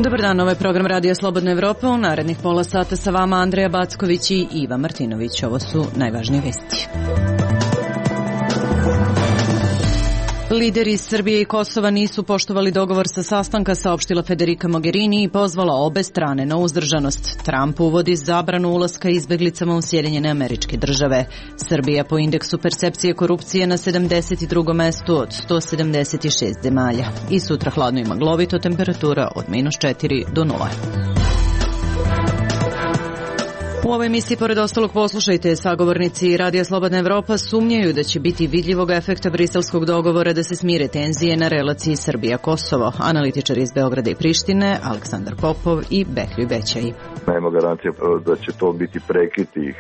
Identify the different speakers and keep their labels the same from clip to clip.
Speaker 1: Dobar dan, ovo je program Radio Slobodna Evropa. U narednih pola sata sa vama Andreja Backović i Iva Martinović. Ovo su najvažnije vesti. Lideri Srbije i Kosova nisu poštovali dogovor sa sastanka, saopštila Federica Mogherini i pozvala obe strane na uzdržanost. Trump uvodi zabranu ulaska izbeglicama u Sjedinjene Američke Države. Srbija po indeksu percepcije korupcije na 72. mestu od 176 zemalja. I sutra hladno i maglovito, temperatura od -4 do 0. U ovoj emisiji, pored ostalog, poslušajte, sagovornici Radija Slobodna Evropa sumnjaju da će biti vidljivog efekta briselskog dogovora da se smire tenzije na relaciji Srbija-Kosovo. Analitičari iz Beograda i Prištine, Aleksandar Popov i Behlju Bećaj.
Speaker 2: Nema garancija da će to biti prekid tih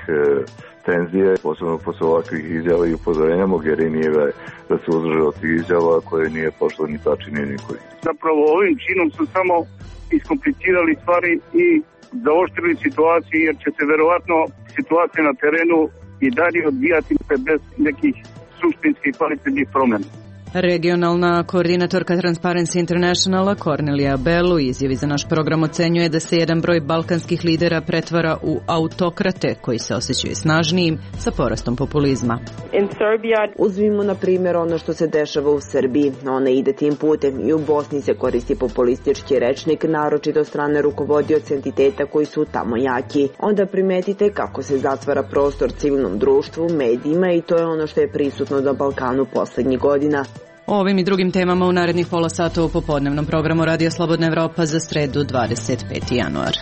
Speaker 2: tenzije, posebno posle ovakvih izjava i upozorenja Mogherinijeve da se uzdrže od tih izjava koje nije pošlo ni Tači ni Nikolić.
Speaker 3: Zapravo ovim činom su samo iskomplicirali stvari i zaoštrili situaciju, jer će se verovatno situacija na terenu i dalje odvijati bez nekih suštinskih kvalitetnih promjena.
Speaker 1: Regionalna koordinatorka Transparency Internationala Kornelija Bell u izjavi za naš program ocenjuje da se jedan broj balkanskih lidera pretvara u autokrate koji se osjećaju snažnijim sa porastom populizma.
Speaker 4: Uzmimo na primjer ono što se dešava u Srbiji. Ona ide tim putem i u Bosni se koristi populistički rečnik, naročito strane rukovodioca entiteta koji su tamo jaki. Onda primetite kako se zatvara prostor civilnom društvu, medijima i to je ono što je prisutno na Balkanu poslednjih godina.
Speaker 1: O ovim i drugim temama u narednih pola sata u popodnevnom programu Radio Slobodna Evropa za sredu 25. januar.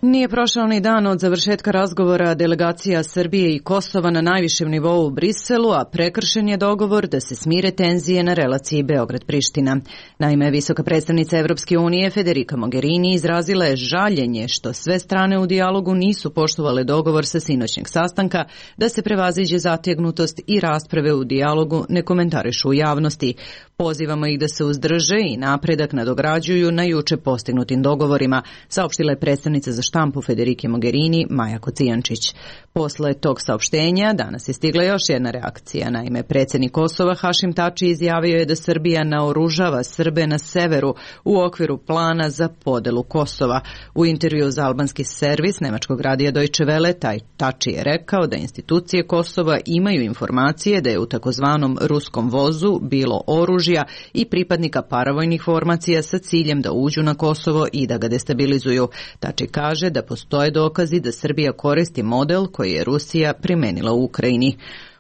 Speaker 1: Nije prošao ni dan od završetka razgovora delegacija Srbije i Kosova na najvišem nivou u Briselu, a prekršen je dogovor da se smire tenzije na relaciji Beograd-Priština. Naime, visoka predstavnica Evropske unije Federica Mogherini izrazila je žaljenje što sve strane u dijalogu nisu poštovale dogovor sa sinoćnjeg sastanka, da se prevaziđe zategnutost i rasprave u dijalogu ne komentarišu u javnosti. Pozivamo ih da se uzdrže i napredak nadograđuju na juče postignutim dogovorima, saopštila je predstavnica za štampu Federike Mogherini Maja Kocijančić. Posle tog saopštenja danas je stigla još jedna reakcija. Naime, predsjednik Kosova Hašim Tači izjavio je da Srbija naoružava Srbe na severu u okviru plana za podelu Kosova. U intervju za albanski servis nemačkog radija Deutsche Welle Tači je rekao da institucije Kosova imaju informacije da je u takozvanom ruskom vozu bilo oružja i pripadnika paravojnih formacija sa ciljem da uđu na Kosovo i da ga destabilizuju. Tači kaže da postoje dokazi da Srbija koristi model koji je Rusija primenila u Ukrajini.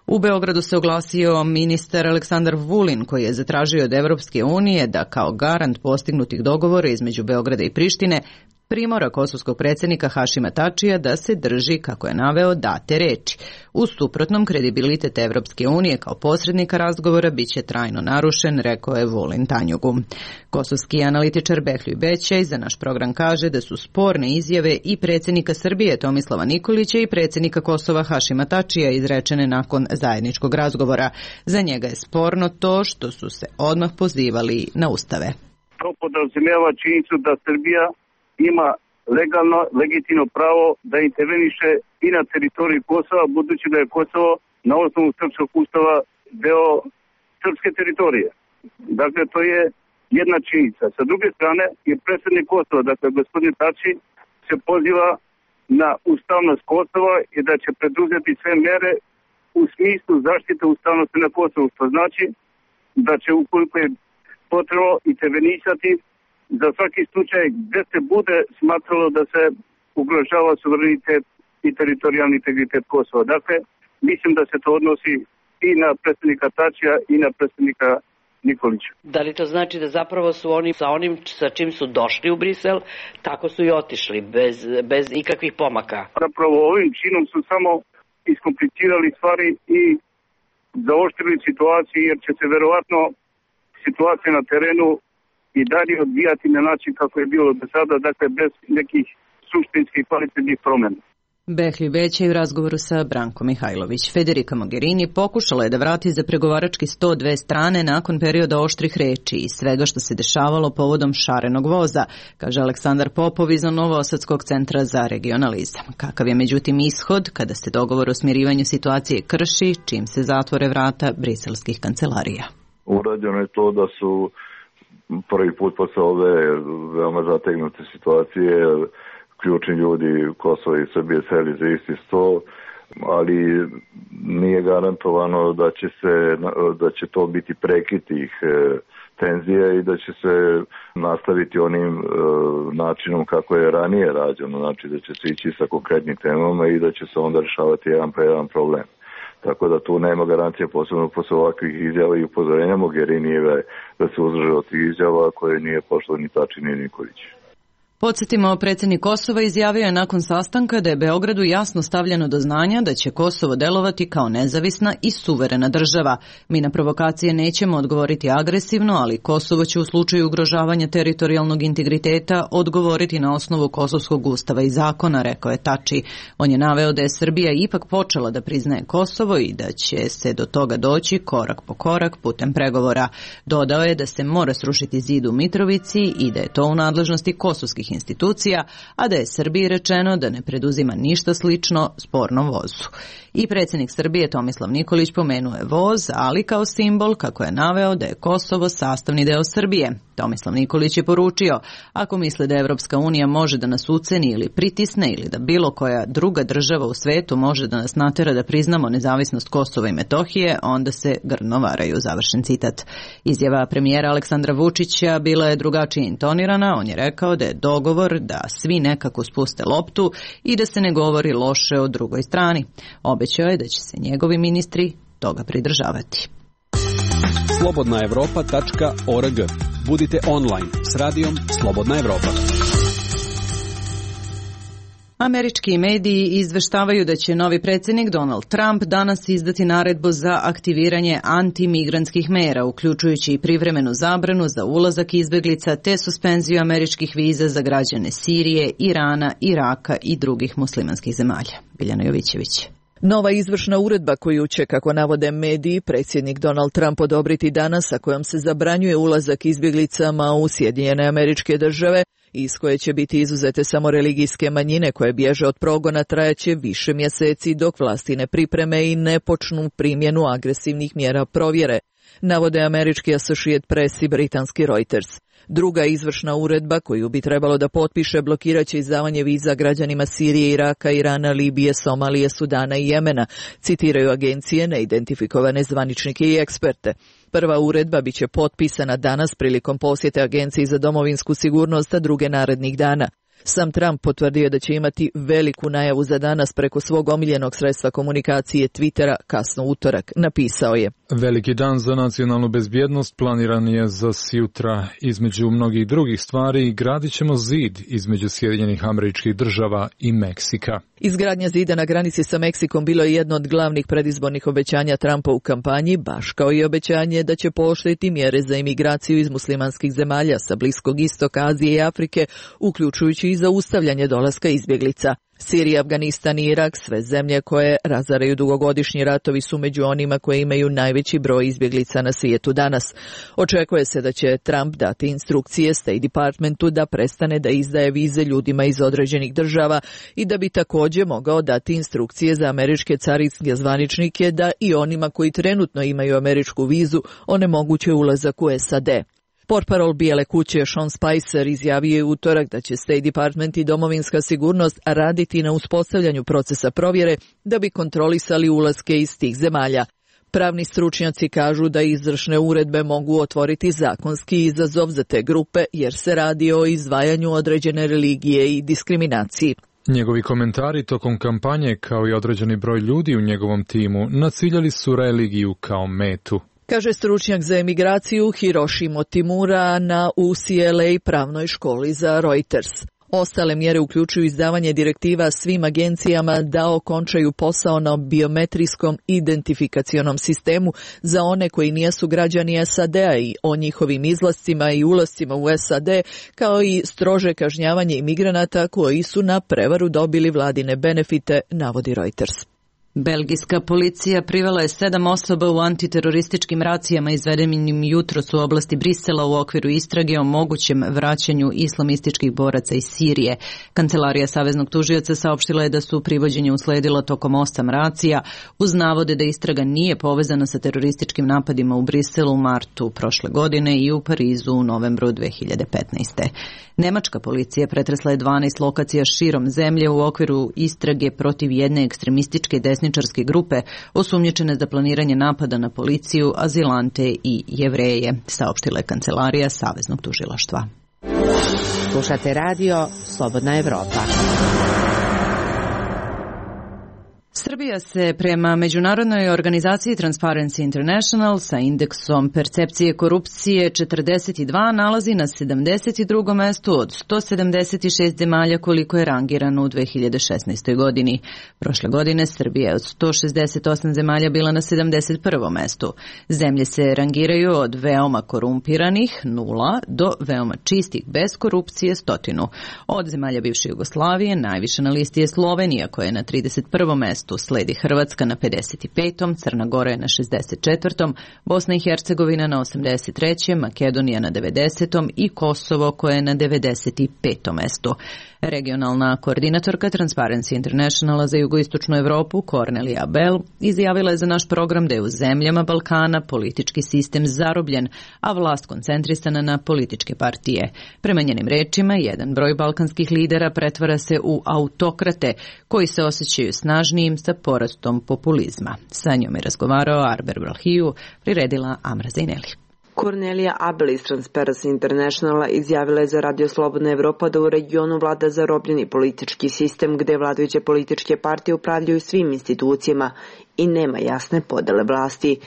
Speaker 1: U Beogradu se oglasio ministar Aleksandar Vulin koji je zatražio od Evropske unije da kao garant postignutih dogovora između Beograda i Prištine primora kosovskog predsjednika Hašima Tačija da se drži, kako je naveo, date reči. U suprotnom, kredibilitet Evropske unije kao posrednika razgovora bit će trajno narušen, rekao je Vulin Tanjugu. Kosovski analitičar Behlju Bećaj za naš program kaže da su sporne izjave i predsjednika Srbije Tomislava Nikolića i predsjednika Kosova Hašima Tačija izrečene nakon zajedničkog razgovora. Za njega je sporno to što su se odmah pozivali na ustave.
Speaker 3: To podrazumijeva činjenicu da Srbija ima legalno, legitimno pravo da interveniše i na teritoriji Kosova, budući da je Kosovo na osnovu srpskog ustava deo srpske teritorije. Dakle, to je jedna činjenica. Sa druge strane, je predsjednik Kosova, dakle, gospodin Tači, se poziva na ustavnost Kosova i da će preduzeti sve mere u smislu zaštite ustavnosti na Kosovu, što znači da će, ukoliko je potrebno, intervenisati za svaki slučaj gdje se bude smatralo da se ugrožava suverenitet i teritorijalni integritet Kosova. Dakle, mislim da se to odnosi i na predsjednika Tačija i na predsjednika Nikolića.
Speaker 5: Da li to znači da zapravo su oni sa onim sa čim su došli u Brisel, tako su i otišli, bez ikakvih pomaka?
Speaker 3: Zapravo ovim činom su samo iskomplicirali stvari i zaoštrili situaciju, jer će se verovatno situacija na terenu i dalje odvijati na način kako je bilo do sada, dakle bez nekih suštinskih kvalitetnih promjena.
Speaker 1: Behli Bećaj u razgovoru sa Brankom Mihajlović. Federica Mogherini pokušala je da vrati za pregovarački sto dve strane nakon perioda oštrih reči i svega što se dešavalo povodom šarenog voza, kaže Aleksandar Popov iz Novosadskog centra za regionalizam. Kakav je međutim ishod kada se dogovor o smirivanju situacije krši, čim se zatvore vrata briselskih kancelarija?
Speaker 2: Urađeno je to da su prvi put posle ove veoma zategnute situacije ključni ljudi Kosova i Srbije seli za isti sto, ali nije garantovano da će to biti prekid tih tenzija i da će se nastaviti onim načinom kako je ranije rađeno, znači da će se ići sa konkretnim temama i da će se onda rešavati jedan po jedan problem. Tako da tu nema garancije, posebno posle ovakvih izjava i upozorenja Mogherinijeve da se uzdrže od tih izjava koje nije pošlo ni Tači ni Nikolić.
Speaker 1: Podsjetimo, predsjednik Kosova izjavio je nakon sastanka da je Beogradu jasno stavljeno do znanja da će Kosovo delovati kao nezavisna i suverena država. Mi na provokacije nećemo odgovoriti agresivno, ali Kosovo će u slučaju ugrožavanja teritorijalnog integriteta odgovoriti na osnovu Kosovskog ustava i zakona, rekao je Tači. On je naveo da je Srbija ipak počela da priznaje Kosovo i da će se do toga doći korak po korak putem pregovora. Dodao je da se mora srušiti zid u Mitrovici i da je to u nadležnosti kosovskih institucija, a da je Srbiji rečeno da ne preduzima ništa slično spornom vozu. I predsjednik Srbije Tomislav Nikolić pomenuo je voz, ali kao simbol kako je naveo da je Kosovo sastavni deo Srbije. Tomislav Nikolić je poručio, ako misle da Evropska unija može da nas uceni ili pritisne ili da bilo koja druga država u svetu može da nas natera da priznamo nezavisnost Kosova i Metohije, onda se grdno varaju, završen citat. Izjava premijera Aleksandra Vučića bila je drugačije intonirana, on je rekao da je dogovor da svi nekako spuste loptu i da se ne govori loše o drugoj strani. Obećao je da će se njegovi ministri toga pridržavati.
Speaker 6: slobodnaevropa.org. Budite online s radijom Slobodna Evropa.
Speaker 1: Američki mediji izveštavaju da će novi predsjednik Donald Trump danas izdati naredbu za aktiviranje antimigrantskih mera, uključujući i privremenu zabranu za ulazak izbeglica te suspenziju američkih viza za građane Sirije, Irana, Iraka i drugih muslimanskih zemalja. Biljana Jovićević.
Speaker 7: Nova izvršna uredba koju će, kako navode mediji, predsjednik Donald Trump odobriti danas, a kojom se zabranjuje ulazak izbjeglicama u Sjedinjene Američke Države, iz koje će biti izuzete samo religijske manjine koje bježe od progona, trajaće više mjeseci dok vlasti ne pripreme i ne počnu primjenu agresivnih mjera provjere, navode američki Associated Press i britanski Reuters. Druga izvršna uredba koju bi trebalo da potpiše blokirat će izdavanje viza građanima Sirije, Iraka, Irana, Libije, Somalije, Sudana i Jemena, citiraju agencije neidentifikovane zvaničnike i eksperte. Prva uredba biće potpisana danas prilikom posjete Agenciji za domovinsku sigurnost, a druge narednih dana. Sam Trump potvrdio da će imati veliku najavu za danas preko svog omiljenog sredstva komunikacije Twittera kasno utorak. Napisao je:
Speaker 8: Veliki dan za nacionalnu bezbjednost planiran je za sutra. Između mnogih drugih stvari gradit ćemo zid između Sjedinjenih Američkih Država i Meksika.
Speaker 7: Izgradnja zida na granici sa Meksikom bilo je jedno od glavnih predizbornih obećanja Trumpa u kampanji, baš kao i obećanje da će pooštriti mjere za imigraciju iz muslimanskih zemalja sa Bliskog istoka, Azije i Afrike, uključujući i zaustavljanje dolaska izbjeglica. Sirija, Afganistan i Irak, sve zemlje koje razaraju dugogodišnji ratovi, su među onima koje imaju najveći broj izbjeglica na svijetu danas. Očekuje se da će Trump dati instrukcije State Departmentu da prestane da izdaje vize ljudima iz određenih država i da bi također mogao dati instrukcije za američke carinske zvaničnike da i onima koji trenutno imaju američku vizu onemoguće ulazak u SAD. Portparol Bijele kuće Sean Spicer izjavio je utorak da će State Department i domovinska sigurnost raditi na uspostavljanju procesa provjere da bi kontrolisali ulaske iz tih zemalja. Pravni stručnjaci kažu da izvršne uredbe mogu otvoriti zakonski izazov za te grupe jer se radi o izdvajanju određene religije i diskriminaciji.
Speaker 8: Njegovi komentari tokom kampanje, kao i određeni broj ljudi u njegovom timu, naciljali su religiju kao metu,
Speaker 7: kaže stručnjak za emigraciju Hiroshi Motimura na UCLA pravnoj školi za Reuters. Ostale mjere uključuju izdavanje direktiva svim agencijama da okončaju posao na biometrijskom identifikacionom sistemu za one koji nijesu građani SAD-a i o njihovim izlascima i ulascima u SAD, kao i strože kažnjavanje imigranata koji su na prevaru dobili vladine benefite, navodi Reuters.
Speaker 1: Belgijska policija privela je 7 osoba u antiterorističkim racijama izvedenim jutros u oblasti Brisela u okviru istrage o mogućem vraćanju islamističkih boraca iz Sirije. Kancelarija saveznog tužioca saopštila je da su privođenje usledila tokom 8 racija uz navode da istraga nije povezana sa terorističkim napadima u Briselu u martu prošle godine i u Parizu u novembru 2015. Nemačka policija pretresla je 12 lokacija širom zemlje u okviru istrage protiv jedne ekstremističke desničarske grupe osumnjičene za planiranje napada na policiju, azilante i Jevreje, saopštila je kancelarija Saveznog tužilaštva.
Speaker 9: Slušate radio Slobodna Evropa.
Speaker 1: Srbija se prema međunarodnoj organizaciji Transparency International sa indeksom percepcije korupcije 42 nalazi na 72. mestu od 176 zemalja koliko je rangirano u 2016. godini. Prošle godine Srbija je od 168 zemalja bila na 71. mestu. Zemlje se rangiraju od veoma korumpiranih 0 do veoma čistih bez korupcije 100. Od zemalja bivše Jugoslavije najviše na listi je Slovenija koja je na 31. mestu. Sledi Hrvatska na 55. Crna Gora je na 64. Bosna i Hercegovina na 83. Makedonija na 90. i Kosovo koje je na 95. mestu. Regionalna koordinatorka Transparency Internationala za jugoistočnu Evropu, Kornelija Abel, izjavila je za naš program da je u zemljama Balkana politički sistem zarobljen, a vlast koncentrisana na političke partije. Prema njenim rečima, jedan broj balkanskih lidera pretvara se u autokrate, koji se osjećaju snažnijim sa porastom populizma. Sa njom je razgovarao Arber Vlahiju, priredila Amra Zajneli.
Speaker 4: Kornelija Abel iz Transparency Internationala izjavila je za Radio Slobodna Evropa da u regionu vlada zarobljeni politički sistem gde vladajuće političke partije upravljaju svim institucijama i nema jasne podele vlasti.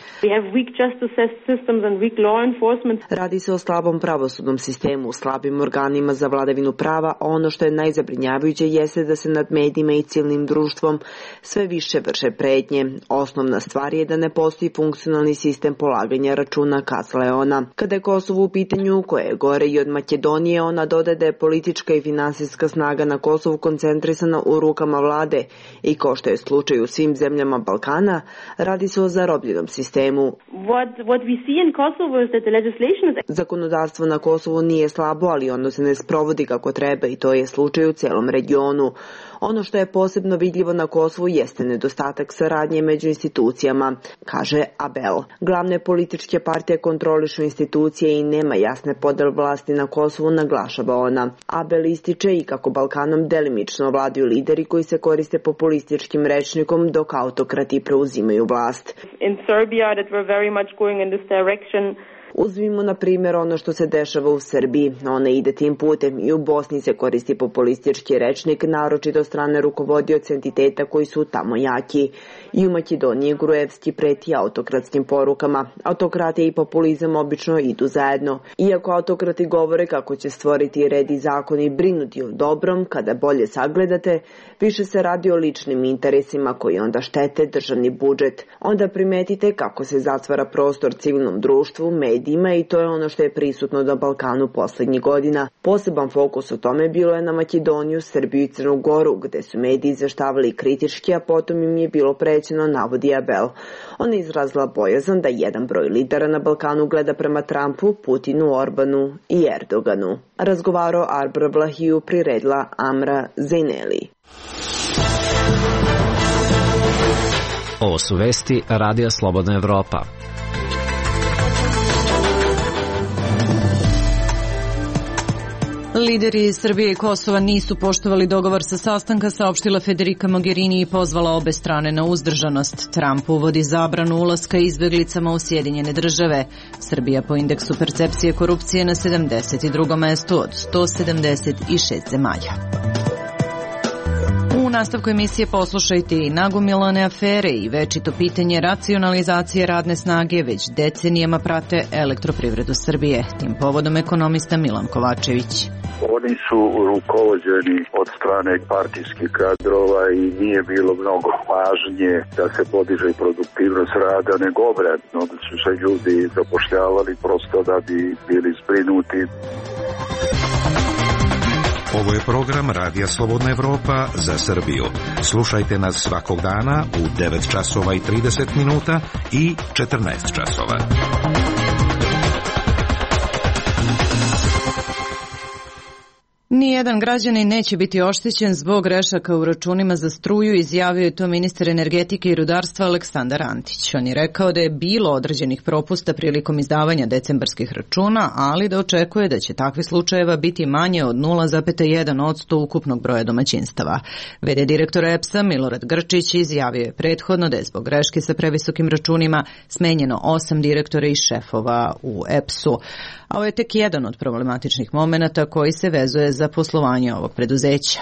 Speaker 4: Radi se o slabom pravosudnom sistemu, slabim organima za vladavinu prava, a ono što je najzabrinjavajuće jeste da se nad medijima i civilnim društvom sve više vrše pretnje. Osnovna stvar je da ne postoji funkcionalni sistem polaganja računa, kazala je ona. Kada je Kosovo u pitanju, koje je gore i od Makedonije, ona dodaje da je politička i finansijska snaga na Kosovu koncentrisana u rukama vlade i kao što je slučaj u svim zemljama Balkana, radi se o zarobljenom sistemu. Zakonodavstvo na Kosovu nije slabo, ali ono se ne sprovodi kako treba i to je slučaj u celom regionu. Ono što je posebno vidljivo na Kosovu jeste nedostatak saradnje među institucijama, kaže Abel. Glavne političke partije kontrolišu institucije i nema jasne podele vlasti na Kosovu, naglašava ona. Abel ističe i kako Balkanom delimično vladaju lideri koji se koriste populističkim rečnikom dok autokrati preuzimaju vlast. Uzmimo na primjer ono što se dešava u Srbiji. Ona ide tim putem i u Bosni se koristi populistički rečnik, naročito od strane rukovodioca entiteta koji su tamo jaki. I u Makedoniji Gruevski preti autokratskim porukama. Autokratija i populizam obično idu zajedno. Iako autokrati govore kako će stvoriti red i zakon i brinuti o dobrom, kada bolje sagledate, više se radi o ličnim interesima koji onda štete državni budžet. Onda primetite kako se zatvara prostor civilnom društvu, medijima i to je ono što je prisutno na Balkanu poslednjih godina. Poseban fokus o tome bilo je na Makedoniju, Srbiju i Crnu Goru, gde su mediji izveštavali kritički, a potom im je bilo prećeno, navodi Abel. Ona je izrazila bojazan da jedan broj lidera na Balkanu gleda prema Trumpu, Putinu, Orbanu i Erdoganu. Razgovarao Arber Vlahiju, priredila Amra Zajneli.
Speaker 10: Ovo su vesti Radija Slobodna Evropa.
Speaker 1: Lideri Srbije i Kosova nisu poštovali dogovor sa sastanka, saopštila Federica Mogherini i pozvala obe strane na uzdržanost. Trump uvodi zabranu ulaska izbeglicama u Sjedinjene države. Srbija po indeksu percepcije korupcije na 72. mestu od 176 zemalja. U nastavku emisije poslušajte i nagomilane afere i večito pitanje racionalizacije radne snage već decenijama prate Elektroprivredu Srbije. Tim povodom ekonomista Milan Kovačević.
Speaker 11: Oni su rukovođeni od strane partijskih kadrova i nije bilo mnogo pažnje da se podiže produktivnost rada, nego obratno da su se ljudi zapošljavali prosto da bi bili zbrinuti.
Speaker 12: Ovo je program Radija Slobodna Evropa za Srbiju. Slušajte nas svakog dana u 9 časova i 30 minuta i 14 časova.
Speaker 1: Nijedan građanin neće biti oštećen zbog grešaka u računima za struju, izjavio je to ministar energetike i rudarstva Aleksandar Antić. On je rekao da je bilo određenih propusta prilikom izdavanja decembarskih računa, ali da očekuje da će takvih slučajeva biti manje od 0,1% ukupnog broja domaćinstava. V.d. direktora EPS-a Milorad Grčić izjavio je prethodno da je zbog greške sa previsokim računima smenjeno 8 direktora i šefova u EPS-u. A ovo je tek jedan od problematičnih momenata koji se vezuje za poslovanje ovog preduzeća.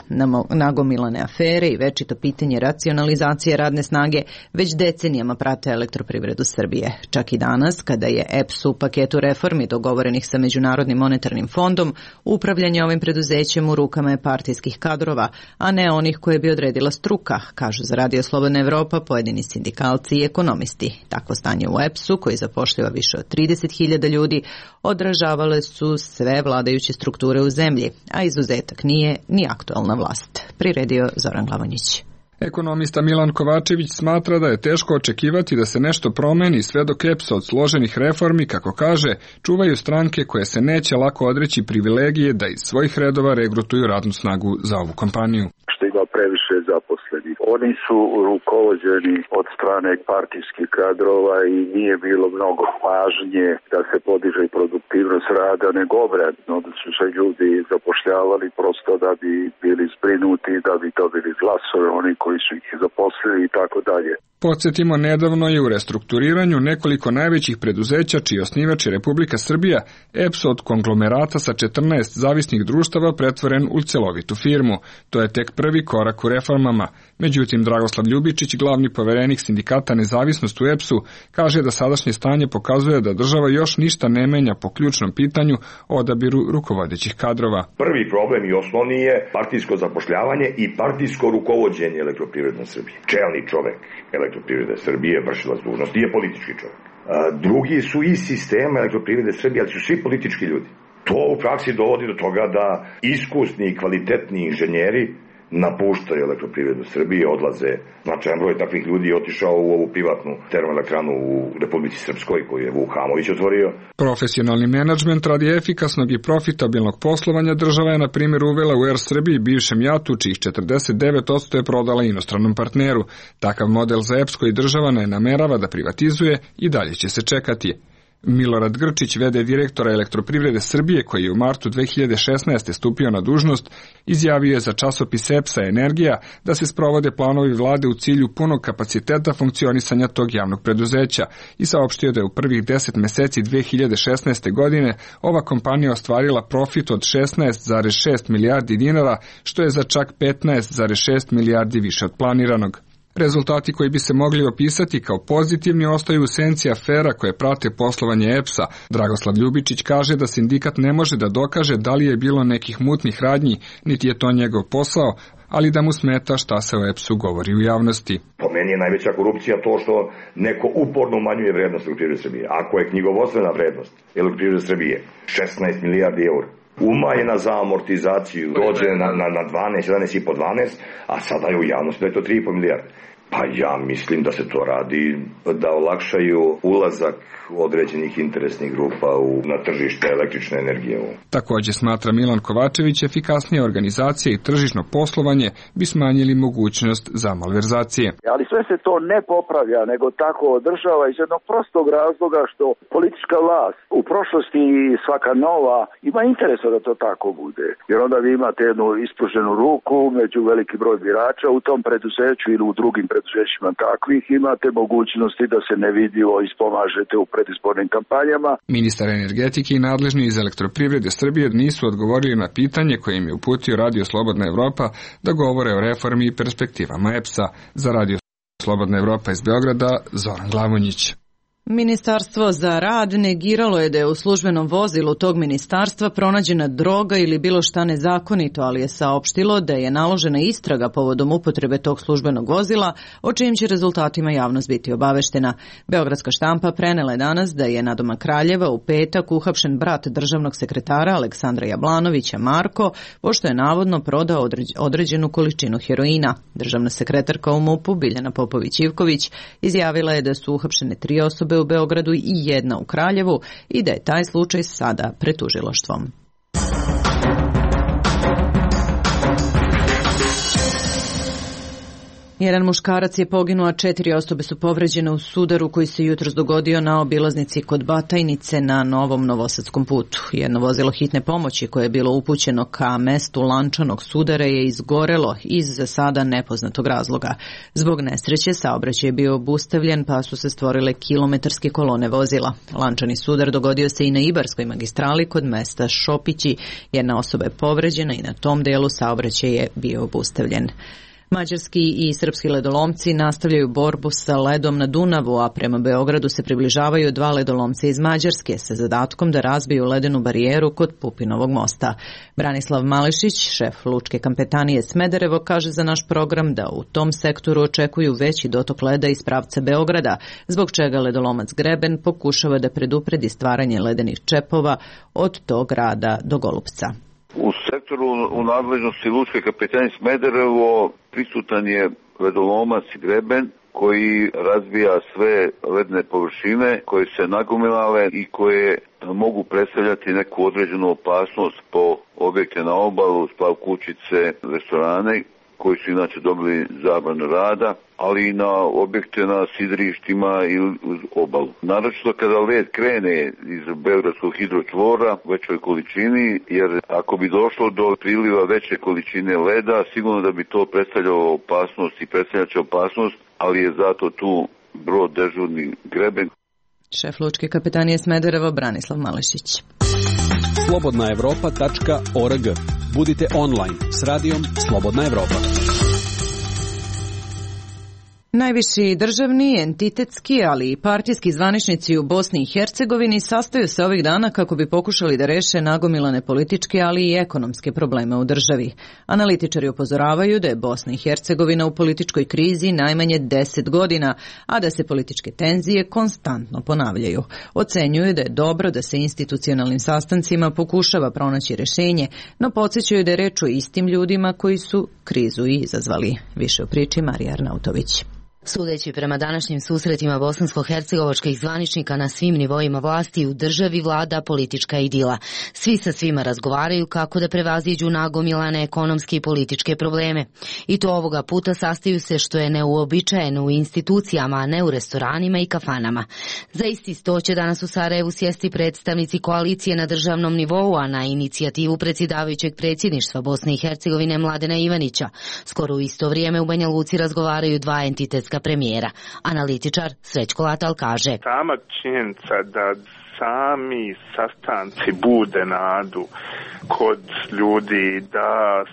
Speaker 1: Nagomilane afere i večito pitanje racionalizacije radne snage već decenijama prate Elektroprivredu Srbije. Čak i danas, kada je EPS u paketu reformi dogovorenih sa Međunarodnim monetarnim fondom, upravljanje ovim preduzećem u rukama je partijskih kadrova, a ne onih koje bi odredila struka, kažu za Radio Slobodna Evropa pojedini sindikalci i ekonomisti. Takvo stanje u EPS-u, koji zapošljava više od 30.000 ljudi, odražavale su sve vladajuće strukture u zemlji, a izuzetak nije ni aktualna vlast. Priredio Zoran Glavonjić.
Speaker 13: Ekonomista Milan Kovačević smatra da je teško očekivati da se nešto promeni sve dok EPS od složenih reformi, kako kaže, čuvaju stranke koje se neće lako odreći privilegije da iz svojih redova regrutuju radnu snagu za ovu kompaniju.
Speaker 11: Što ima previše zaposlenih. Oni su rukovođeni od strane partijskih kadrova i nije bilo mnogo pažnje da se podiže produktivnost rada, nego obratno da su se ljudi zapošljavali prosto da bi bili zbrinuti, da bi dobili glasove oni koji su ih zaposlili i tako dalje.
Speaker 13: Podsjetimo, nedavno je u restrukturiranju nekoliko najvećih preduzeća čiji osnivač je Republika Srbija, EPS od konglomerata sa 14 zavisnih društava pretvoren u celovitu firmu. To je tek prvi korak u reformama. Međutim, Dragoslav Ljubičić, glavni poverenik sindikata Nezavisnost u EPS-u, kaže da sadašnje stanje pokazuje da država još ništa ne menja po ključnom pitanju o odabiru rukovodećih kadrova.
Speaker 14: Prvi problem i osnovni je partijsko zapošljavanje i partijsko rukovođenje Elektroprivredne Srbije. Čelni čovek Elektroprivrede Srbije, vršilac dužnosti, je politički čovjek. Drugi su iz sistema Elektroprivrede Srbije, ali su svi politički ljudi. To u praksi dovodi do toga da iskusni i kvalitetni inženjeri napuštaju Elektroprivredu Srbije, odlaze. Značajan broj takvih ljudi je otišao u ovu privatnu termoelektranu u Republici Srpskoj koju je Vuk Hamović otvorio.
Speaker 13: Profesionalni menadžment radi efikasnog i profitabilnog poslovanja država je na primjer uvela u Er Srbiji bivšem JAT-u, čijih 49% je prodala inostranom partneru. Takav model za EPS koji država ne namerava da privatizuje i dalje će se čekati. Milorad Grčić, v.d. direktora Elektroprivrede Srbije, koji je u martu 2016. stupio na dužnost, izjavio je za časopis EPS-a Energija da se sprovode planovi vlade u cilju punog kapaciteta funkcionisanja tog javnog preduzeća i saopštio da je u prvih 10 meseci 2016. godine ova kompanija ostvarila profit od 16,6 milijardi dinara, što je za čak 15,6 milijardi više od planiranog. Rezultati koji bi se mogli opisati kao pozitivni ostaju u senci afera koje prate poslovanje EPS-a. Dragoslav Ljubičić kaže da sindikat ne može da dokaže da li je bilo nekih mutnih radnji, niti je to njegov posao, ali da mu smeta šta se o EPS-u govori u javnosti.
Speaker 14: Po meni je najveća korupcija to što neko uporno umanjuje vrednost Elektroprivrede Srbije. Ako je knjigovodstvena vrednost Elektroprivrede Srbije 16 milijardi eura, umanjena za amortizaciju, dođe na 12, 11,5, 12, a sada je u javnosti da je to 3,5 milijarde. Pa ja mislim da se to radi da olakšaju ulazak određenih interesnih grupa na tržište električne energije.
Speaker 13: Također smatra Milan Kovačević, efikasnija organizacija i tržišno poslovanje bi smanjili mogućnost za malverzacije.
Speaker 11: Ali sve se to ne popravlja, nego tako održava iz jednog prostog razloga što politička vlast u prošlosti i svaka nova ima interesa da to tako bude. Jer onda vi imate jednu ispruženu ruku među veliki broj birača u tom preduzeću ili u drugim preduzećima preduzećima kakvih, imate mogućnosti da se nevidljivo ispomažete u predizbornim kampanjama.
Speaker 13: Ministar energetike i nadležni iz Elektroprivrede Srbije nisu odgovorili na pitanje koje im je uputio Radio Slobodna Evropa da govore o reformi i perspektivama EPS-a. Za Radio Slobodna Evropa iz Beograda, Zoran Glavonjić.
Speaker 1: Ministarstvo za rad negiralo je da je u službenom vozilu tog ministarstva pronađena droga ili bilo šta nezakonito, ali je saopštilo da je naložena istraga povodom upotrebe tog službenog vozila, o čijim će rezultatima javnost biti obaveštena. Beogradska štampa prenela je danas da je nadomak Kraljeva u petak uhapšen brat državnog sekretara Aleksandra Jablanovića Marko, pošto je navodno prodao određenu količinu heroina. Državna sekretarka u MUP-u Biljana Popović-Ivković izjavila je da su uhapšene 3 osobe u Beogradu i 1 u Kraljevu i da je taj slučaj sada pred tužilaštvom. Jedan muškarac je poginuo, a 4 osobe su povređene u sudaru koji se jutros dogodio na obilaznici kod Batajnice na Novom Novosadskom putu. Jedno vozilo hitne pomoći koje je bilo upućeno ka mestu lančanog sudara je izgorelo iz za sada nepoznatog razloga. Zbog nesreće saobraćaj je bio obustavljen pa su se stvorile kilometarske kolone vozila. Lančani sudar dogodio se i na Ibarskoj magistrali kod mesta Šopići. Jedna osoba je povređena i na tom delu saobraćaj je bio obustavljen. Mađarski i srpski ledolomci nastavljaju borbu sa ledom na Dunavu, a prema Beogradu se približavaju 2 ledolomca iz Mađarske sa zadatkom da razbiju ledenu barijeru kod Pupinovog mosta. Branislav Mališić, šef lučke kapetanije Smederevo, kaže za naš program da u tom sektoru očekuju veći dotok leda iz pravca Beograda, zbog čega ledolomac Greben pokušava da predupredi stvaranje ledenih čepova od tog grada do Golupca.
Speaker 15: U sektoru u nadležnosti lučke kapetanije Smederevo prisutan je ledolomac Greben koji razbija sve ledne površine koje se nagomilale i koje mogu predstavljati neku određenu opasnost po objekte na obalu, splav kućice, restorane koji su inače dobili zabranu rada, ali i na objekte na sidrištima i uz obalu. Naročito kada led krene iz Beogradskog hidročvora u većoj količini, jer ako bi došlo do priliva veće količine leda, sigurno da bi to predstavljalo opasnost i predstavljaće opasnost, ali je zato tu brod dežurni Greben.
Speaker 1: Šef lučke kapetanije Smederevo Branislav Mališić.
Speaker 6: slobodnaevropa.org. Budite online s radijom Slobodna Evropa.
Speaker 1: Najviši državni, entitetski, ali i partijski zvaničnici u Bosni i Hercegovini sastaju se ovih dana kako bi pokušali da reše nagomilane političke, ali i ekonomske probleme u državi. Analitičari upozoravaju da je Bosna i Hercegovina u političkoj krizi najmanje 10 godina, a da se političke tenzije konstantno ponavljaju. Ocenjuju da je dobro da se institucionalnim sastancima pokušava pronaći rešenje, no podsjećaju da je reč o istim ljudima koji su krizu i izazvali. Više o priči Marija Arnautović.
Speaker 16: Sudeći prema današnjim susretima bosansko-hercegovačkih zvaničnika na svim nivoima vlasti u državi vlada politička idila. Svi sa svima razgovaraju kako da prevaziđu nagomilane ekonomske i političke probleme. I to ovoga puta sastaju se što je neuobičajeno u institucijama, a ne u restoranima i kafanama. Za isti sto će danas u Sarajevu sjesti predstavnici koalicije na državnom nivou, a na inicijativu predsjedavajućeg predsjedništva Bosne i Hercegovine Mladena Ivanića. Skoro u isto vrijeme u Banja Luci razgovaraju 2 entitetska premijera. Analitičar Srećko Latal kaže:
Speaker 17: sama činjenica da sami sastanci bude nadu kod ljudi da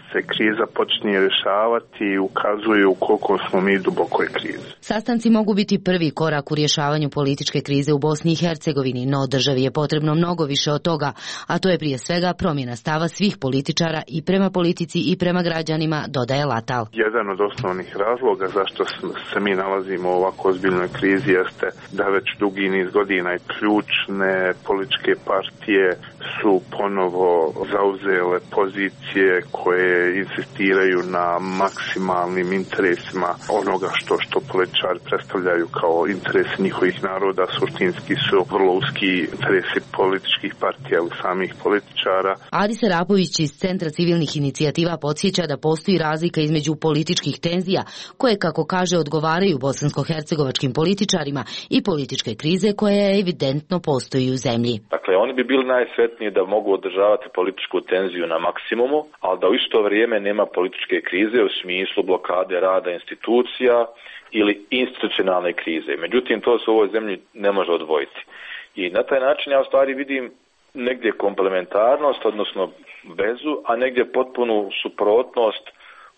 Speaker 17: se kriza počne rješavati i ukazuju koliko smo mi dubokoj krizi.
Speaker 16: Sastanci mogu biti prvi korak u rješavanju političke krize u Bosni i Hercegovini, no državi je potrebno mnogo više od toga, a to je prije svega promjena stava svih političara i prema politici i prema građanima, dodaje Latal.
Speaker 17: Jedan od osnovnih razloga zašto se mi nalazimo u ovako ozbiljnoj krizi jeste da već dugi niz godina i ključne političke partije su ponovo zauzele pozicije koje insistiraju na maksimalnim interesima onoga što političari predstavljaju kao interesi njihovih naroda. Suštinski su vrlo uski interesi političkih partija u samih političara.
Speaker 16: Adis Arapović iz Centra civilnih inicijativa podsjeća da postoji razlika između političkih tenzija koje, kako kaže, odgovaraju bosansko-hercegovačkim političarima i političke krize koja evidentno postoji u zemlji.
Speaker 18: Dakle, Dakle, oni bi bili najsretniji da mogu održavati političku tenziju na maksimumu, ali da u isto vrijeme nema političke krize u smislu blokade rada institucija ili institucionalne krize. Međutim, to se u ovoj zemlji ne može odvojiti. I na taj način ja u stvari vidim negdje komplementarnost, odnosno vezu, a negdje potpunu suprotnost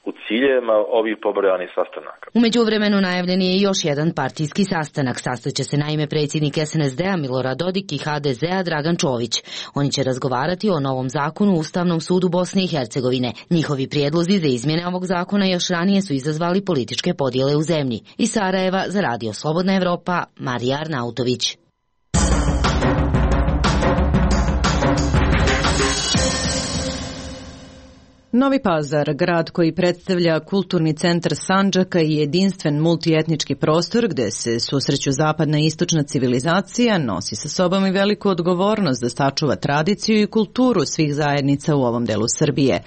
Speaker 18: u ciljevima ovih pobrojanih sastanaka.
Speaker 16: U međuvremenu najavljen je još jedan partijski sastanak. Sastaće se naime predsjednik SNSD-a Milorad Dodik i HDZ-a Dragan Čović. Oni će razgovarati o novom zakonu u Ustavnom sudu Bosne i Hercegovine. Njihovi prijedlozi za izmjene ovog zakona još ranije su izazvali političke podjele u zemlji. Iz Sarajeva za Radio Slobodna Evropa, Marija Arnautović.
Speaker 1: Novi Pazar, grad koji predstavlja kulturni centar Sandžaka i jedinstven multietnički prostor gde se susreću zapadna i istočna civilizacija, nosi sa sobom i veliku odgovornost da sačuva tradiciju i kulturu svih zajednica u ovom delu Srbije.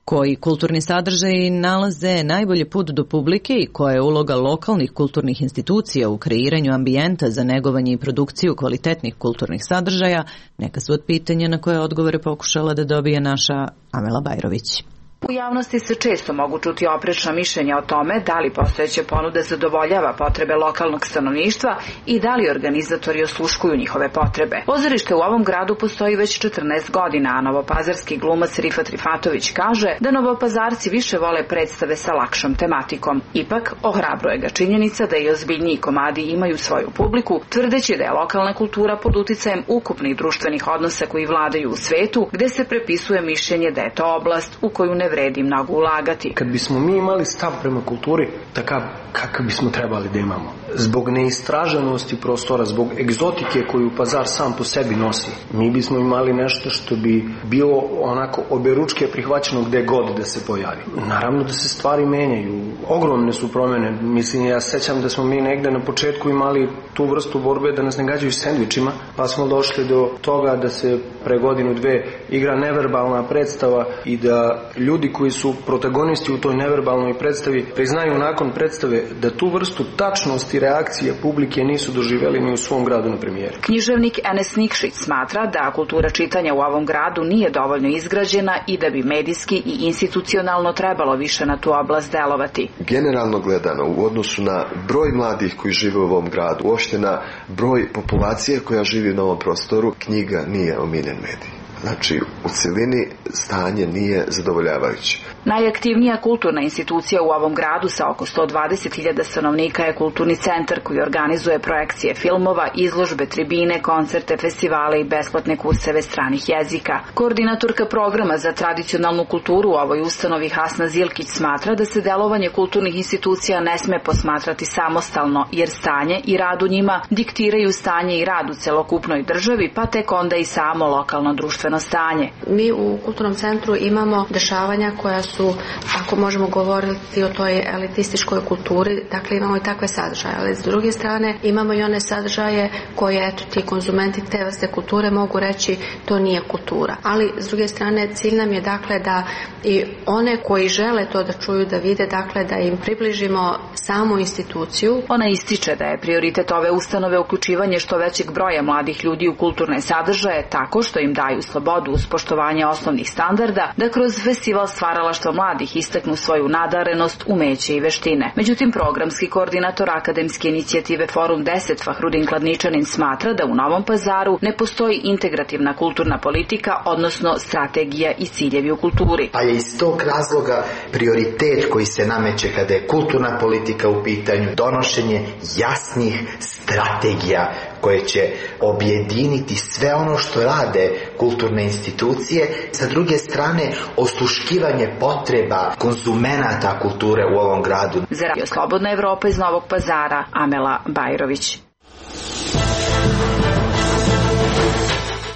Speaker 1: Koji kulturni sadržaji nalaze najbolji put do publike i koja je uloga lokalnih kulturnih institucija u kreiranju ambijenta za negovanje i produkciju kvalitetnih kulturnih sadržaja, neka su od pitanja na koje odgovore pokušala da dobije naša Amela Bajrović.
Speaker 19: U javnosti se često mogu čuti oprečna mišljenja o tome da li postojeća ponuda zadovoljava potrebe lokalnog stanovništva i da li organizatori osluškuju njihove potrebe. Pozorište u ovom gradu postoji već 14 godina, a novopazarski glumac Rifat Rifatović kaže da novopazarci više vole predstave sa lakšom tematikom. Ipak, ohrabruje ga činjenica da i ozbiljniji komadi imaju svoju publiku, tvrdeći da je lokalna kultura pod uticajem ukupnih društvenih odnosa koji vladaju u svetu, gde se prepisuje mišljenje da je to oblast u koju ne vredi mnogo ulagati.
Speaker 20: Kad bismo mi imali stav prema kulturi takav kakav bismo trebali da imamo, zbog neistraženosti prostora, zbog egzotike koju Pazar sam po sebi nosi, mi bismo imali nešto što bi bilo onako oberučke prihvaćeno gde god da se pojavi. Naravno da se stvari menjaju, ogromne su promjene. Mislim, ja sećam da smo mi negde na početku imali tu vrstu borbe da nas ne gađaju sendvičima, pa smo došli do toga da se pre godinu dve igra neverbalna predstava i da ljudi koji su protagonisti u toj neverbalnoj predstavi priznaju nakon predstave da tu vrstu tačnosti reakcije publike nisu doživjeli ni u svom gradu na premijeri.
Speaker 19: Književnik Enes Nikšić smatra da kultura čitanja u ovom gradu nije dovoljno izgrađena i da bi medijski i institucionalno trebalo više na tu oblast delovati.
Speaker 21: Generalno gledano, u odnosu na broj mladih koji žive u ovom gradu, uopšte na broj populacije koja živi na ovom prostoru, knjiga nije omiljen medij. Znači, u cjelini stanje nije zadovoljavajuće.
Speaker 19: Najaktivnija kulturna institucija u ovom gradu sa oko 120.000 stanovnika je Kulturni centar koji organizuje projekcije filmova, izložbe, tribine, koncerte, festivale i besplatne kurseve stranih jezika. Koordinatorka programa za tradicionalnu kulturu u ovoj ustanovi Hasna Zilkić smatra da se delovanje kulturnih institucija ne sme posmatrati samostalno, jer stanje i rad u njima diktiraju stanje i rad u celokupnoj državi, pa tek onda i samo lokalno društveno stanje.
Speaker 22: Mi u Kulturnom centru imamo dešavanja koja su, ako možemo govoriti o toj elitističkoj kulturi, dakle imamo i takve sadržaje, ali s druge strane imamo i one sadržaje koje, eto, ti konzumenti te vrste kulture mogu reći to nije kultura. Ali s druge strane cilj nam je dakle da i one koji žele to da čuju, da vide, dakle da im približimo samu instituciju.
Speaker 19: Ona ističe da je prioritet ove ustanove uključivanje što većeg broja mladih ljudi u kulturne sadržaje tako što im daju slobodu uz poštovanje osnovnih standarda, da kroz festival stvaralaštva mladih istaknu svoju nadarenost, umeće i veštine. Međutim, programski koordinator akademske inicijative Forum 10 Fahrudin Kladničanin smatra da u Novom Pazaru ne postoji integrativna kulturna politika, odnosno strategija i ciljevi u kulturi.
Speaker 23: Pa je iz tog razloga prioritet koji se nameće kada je kulturna politika u pitanju donošenje jasnih strategija koje će objediniti sve ono što rade kulturne institucije, sa druge strane osluškivanje potreba konzumenata kulture u ovom gradu.
Speaker 19: Za Radio Slobodna Evropa iz Novog Pazara, Amela Bajrović.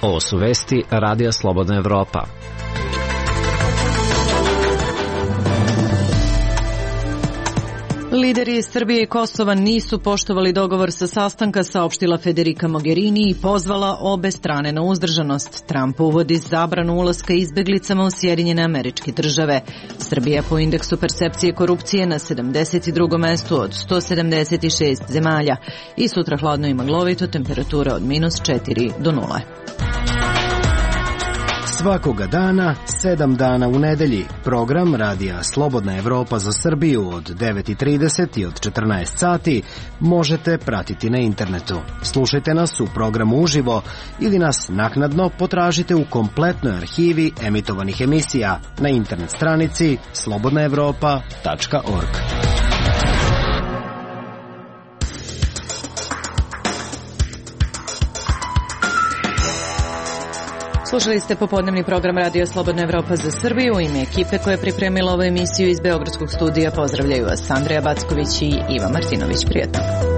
Speaker 10: Ovo su vesti Radija Slobodna Evropa.
Speaker 1: Lideri Srbije i Kosova nisu poštovali dogovor sa sastanka, saopštila Federica Mogherini i pozvala obe strane na uzdržanost. Trump uvodi zabranu ulaska izbeglicama u Sjedinjene Američke Države. Srbija po indeksu percepcije korupcije na 72. mestu od 176 zemalja. I sutra hladno i maglovito, temperatura od -4 do 0.
Speaker 2: Svakoga dana, 7 dana u nedelji, program Radija Slobodna Evropa za Srbiju od 9:30 i od 14 sati možete pratiti na internetu. Slušajte nas u programu uživo ili nas naknadno potražite u kompletnoj arhivi emitovanih emisija na internet stranici slobodnaevropa.org.
Speaker 1: Slušali ste popodnevni program Radio Slobodna Evropa za Srbiju. U ime ekipe koja je pripremila ovu emisiju iz Beogradskog studija pozdravljaju vas Andreja Backović i Iva Martinović. Prijetno.